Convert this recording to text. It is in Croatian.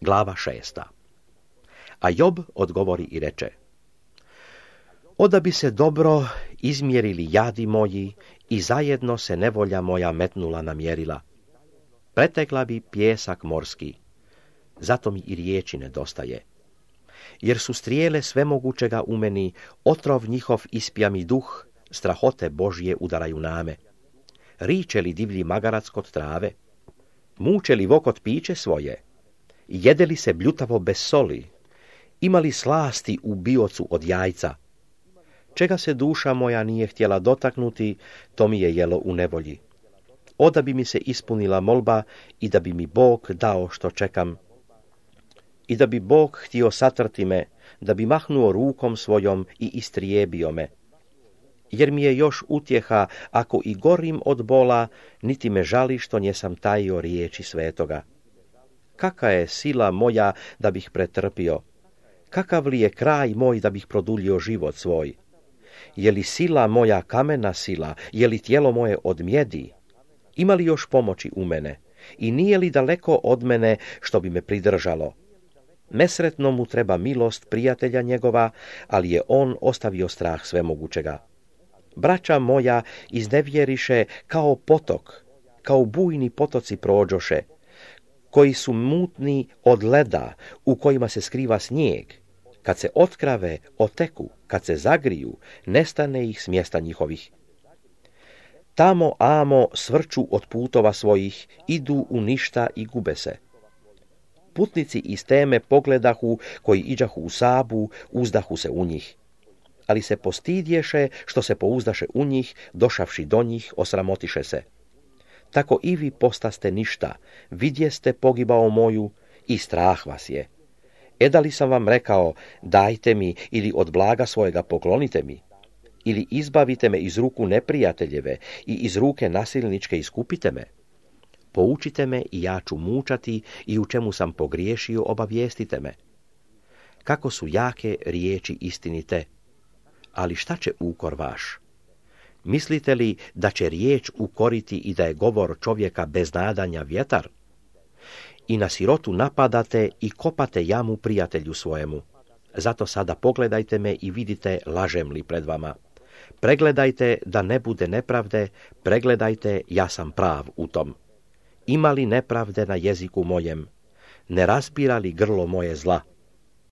Glava 6. A Job odgovori i reče: Oda bi se dobro izmjerili jadi moji i zajedno se nevolja moja metnula na mjerila. Pretekla bi pijesak morski, zato mi i riječi nedostaje. Jer su strijele svemogućega u meni, otrov njihov ispija mi duh, strahote Božje udaraju name. Riče li divlji magarac kod trave? Muče li vokot piće svoje? Jede li se bljutavo bez soli? Ima li slasti u biocu od jajca? Čega se duša moja nije htjela dotaknuti, to mi je jelo u nevolji. Oda bi mi se ispunila molba i da bi mi Bog dao što čekam. I da bi Bog htio satrti me, da bi mahnuo rukom svojom i istrijebio me. Jer mi je još utjeha, ako i gorim od bola, niti me žali što njesam tajio riječi svetoga. Kaka je sila moja da bih pretrpio? Kakav li je kraj moj da bih produljio život svoj? Je li sila moja kamena sila? Je li tijelo moje od mjedi? Ima li još pomoći u mene? I nije li daleko od mene što bi me pridržalo? Nesretno mu treba milost prijatelja njegova, ali je on ostavio strah svemogućega. Braća moja iznevjeriše kao potok, kao bujni potoci prođoše, koji su mutni od leda, u kojima se skriva snijeg. Kad se otkrave, oteku, kad se zagriju, nestane ih s mjesta njihovih. Tamo amo svrču od putova svojih, idu u ništa i gube se. Putnici iz teme pogledahu, koji iđahu u Sabu, uzdahu se u njih. Ali se postidješe što se pouzdaše u njih, došavši do njih, osramotiše se. Tako i vi postaste ništa, vidjeste pogibao moju i strah vas je. Da li sam vam rekao, dajte mi ili od blaga svojega poklonite mi? Ili izbavite me iz ruku neprijateljeve i iz ruke nasilničke iskupite me? Poučite me i ja ću mučati i u čemu sam pogriješio obavijestite me. Kako su jake riječi istinite, ali šta će ukor vaš? Mislite li da će riječ ukoriti i da je govor čovjeka bez nadanja vjetar? I na sirotu napadate i kopate jamu prijatelju svojemu. Zato sada pogledajte me i vidite lažem li pred vama. Pregledajte da ne bude nepravde, pregledajte ja sam prav u tom. Ima li nepravde na jeziku mojem? Ne raspira li grlo moje zla?